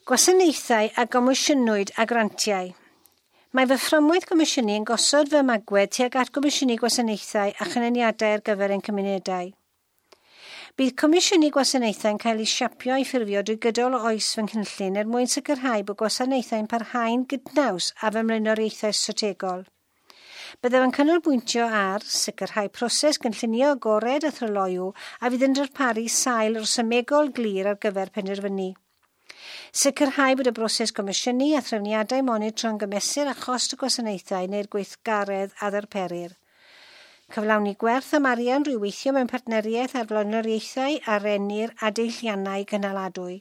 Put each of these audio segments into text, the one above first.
Gwasanaethau a gomisiynwyd a grantiau. Mae fy fframwaith gomisiynu yn gosod fy ymagwedd tuag at gomisiynu gwasanaethau a chynnyniadau ar gyfer ein cymunedau. Bydd comisiynu gwasanaethau'n cael ei siapio a'i ffurfio drwy gydol oes fy nghynllun er mwyn sicrhau bod gwasanaethau'n parhau'n gydnaws â fy mlaenoriaethau strategol. Byddaf yn canolbwyntio ar sicrhau proses gynllunio agored a thryloyw a fydd yn darparu sail rhesymegol glir ar gyfer penderfynu. Sicrhau bod y broses gomisiynu a threfniadau monitro'n gymesur â chost y gwasanaethau neu'r gweithgaredd a ddarperir. Cyflawni gwerth am arian drwy weithio mewn partneriaeth ar flaenoriaethau a rennir a deilliannau cynaladwy.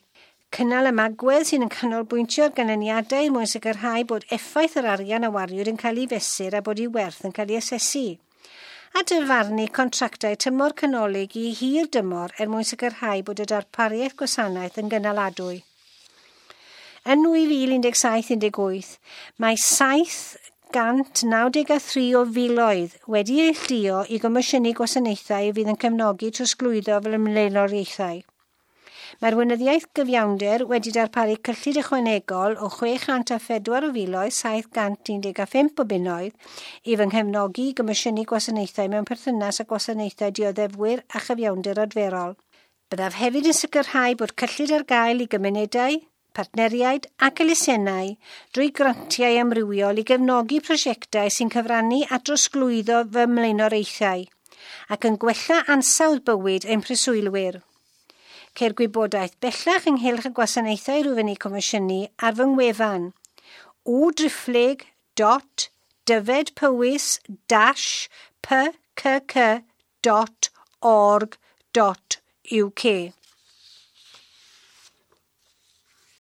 Cynnal ymagwedd sy'n yn canolbwyntio ar ganlyniadau er mwyn sicrhau bod effaith yr arian a wariwyd yn cael ei fesur a bod ei werth yn cael ei asesu. A dyfarnu contractau tymor canolig i hir dymor er mwyn sicrhau bod y darpariaeth gwasanaeth yn gynaladwy. Yn 2017-18, mae 793 o filoedd wedi eu neilltuo i gomisiynu gwasanaethau fydd yn cefnogi trosglwyddo fy mlaenoriaethau. Mae'r Weinyddiaeth Gyfiawnder wedi darparu cyllid ychwanegol o 604 o filoedd 715 o bunnoedd i fy nghefnogi i gomisiynu gwasanaethau mewn perthynas â gwasanaethau dioddefwyr a chyfiawnder adferol. Byddaf hefyd yn sicrhau bod cyllid ar gael i gymunedau, partneriaid ac elusennau drwy grantiau amrywiol i gefnogi prosiectau sy'n cyfrannu at drosglwyddo fy mlaenoriaethau ac yn gwella ansawdd bywyd ein preswylwyr. Ceir gwybodaeth bellach ynghylch y gwasanaethau rwyf yn eu comisiynu ar fy ngwefan www.dyfedpowys-pkk.org.uk.